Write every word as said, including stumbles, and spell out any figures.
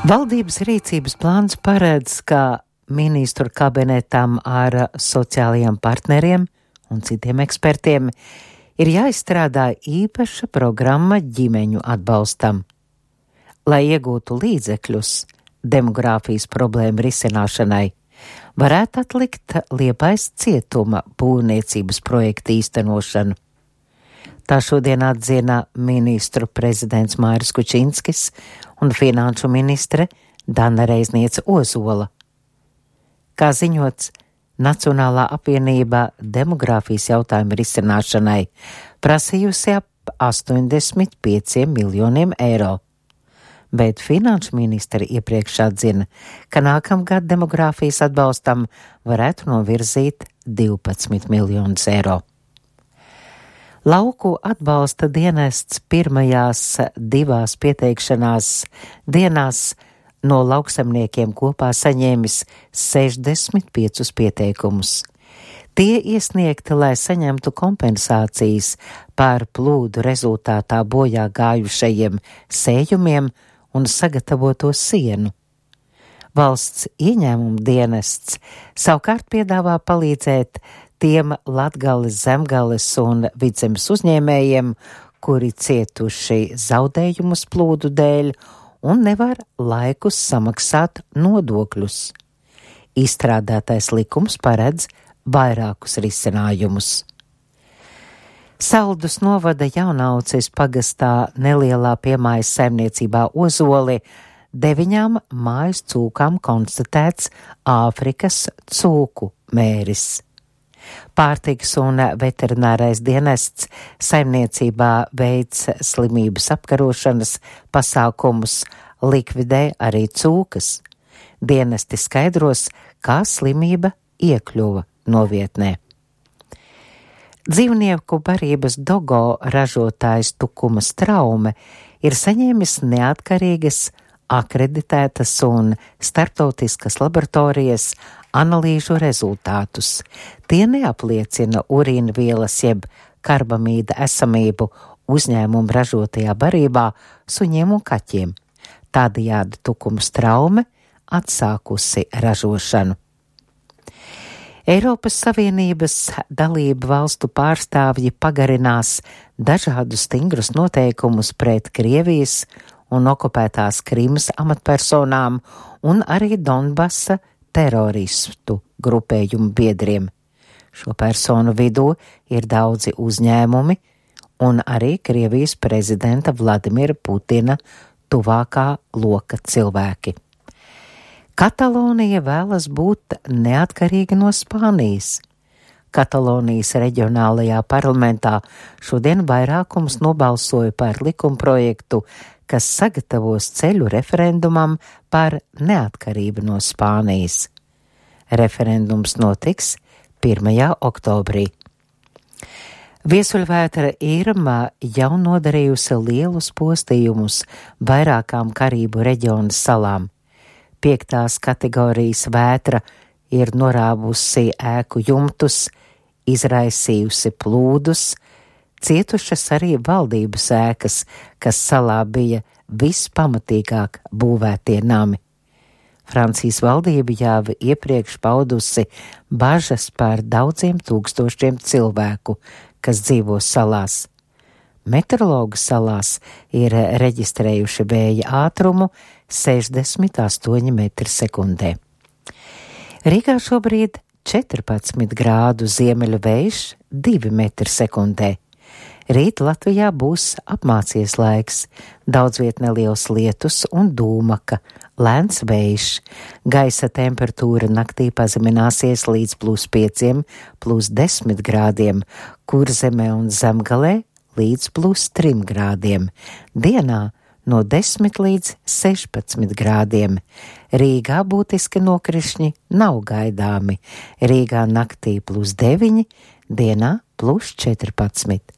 Valdības rīcības plāns paredz, ka ministru kabinetam ar sociālajiem partneriem un citiem ekspertiem ir jāizstrādā īpaša programma ģimeņu atbalstam, lai iegūtu līdzekļus demogrāfijas problēmu risināšanai. Varētu atlikt Liepājas cietuma būvniecības projekta īstenošanu. Tā šodien atzina ministru prezidents Mairis Kučinskis un finanšu ministre Dana Reizniece Ozola. Kā ziņots, Nacionālā apvienība demogrāfijas jautājumu risināšanai prasījusi ap astoņdesmit pieciem miljoniem eiro. Bet finanšu ministri iepriekš atzina, ka nākamgad demogrāfijas atbalstam varētu novirzīt divpadsmit miljonus eiro. Lauku atbalsta dienests pirmajās divās pieteikšanās dienās no lauksaimniekiem kopā saņēmis sešdesmit piecus pieteikumus. Tie iesniegti, lai saņemtu kompensācijas par plūdu rezultātā bojā gājušajiem sējumiem un sagatavoto sienu. Valsts ieņēmuma dienests savukārt piedāvā palīdzēt tiem Latgales, Zemgales un Vidzemes uzņēmējiem, kuri cietuši zaudējumus plūdu dēļ un nevar laikus samaksāt nodokļus. Izstrādātais likums paredz vairākus risinājumus. Saldus novada Jaunauces pagastā nelielā piemājas saimniecībā Ozoli deviņām mājas cūkām konstatēts Āfrikas cūku mēris. Pārtikas un veterinārais dienests saimniecībā veic slimības apkarošanas pasākumus, likvidē arī cūkas. Dienesti skaidros, kā slimība iekļuva novietnē. Dzīvnieku barības Dogo ražotājs Tukuma Straume ir saņēmis neatkarīgas, akreditētas un starptautiskas laboratorijas analīžu rezultātus. Tie neapliecina urīna vielas jeb karbamīda esamību uzņēmumu ražotajā barībā suņiem un kaķiem. Tādējādi Tukuma Straume atsākusi ražošanu. Eiropas Savienības dalību valstu pārstāvji pagarinās dažādus stingrus noteikumus pret Krievijas un okupētās Krimas amatpersonām un arī Donbasa teroristu grupējumu biedriem. Šo personu vidū ir daudzi uzņēmumi un arī Krievijas prezidenta Vladimira Putina tuvākā loka cilvēki. Katalonija vēlas būt neatkarīga no Spānijas. Katalonijas reģionālajā parlamentā šodien vairākums nobalsoja par likumprojektu, kas sagatavos ceļu referendumam par neatkarību no Spānijas. Referendums notiks pirmajā oktobrī. Viesuļvētra Irma jau nodarījusi lielus postījumus vairākām Karību reģionu salām. Piektās kategorijas vētra ir norāvusi ēku jumtus, izraisījusi plūdus, cietušas arī valdības ēkas, kas salā bija vispamatīgāk būvētie nami. Francijas valdība jau iepriekš paudusi bažas par daudziem tūkstošiem cilvēku, kas dzīvo salās. Meteorologu salās ir reģistrējuši vēja ātrumu sešdesmit astoņi metri sekundē. Rīgā šobrīd četrpadsmit grādu ziemeļu vējš divi metri sekundē. Rīt Latvijā būs apmācies laiks, daudz viet neliels lietus un dūmaka, lēns vējš. Gaisa temperatūra naktī pazemināsies līdz plus pieciem, plus desmit grādiem, Kurzemē un Zemgalē līdz plus trim grādiem. Dienā no desmit līdz sešpadsmit grādiem. Rīgā būtiski nokrišņi nav gaidāmi. Rīgā naktī plus deviņi, dienā plus četrpadsmit.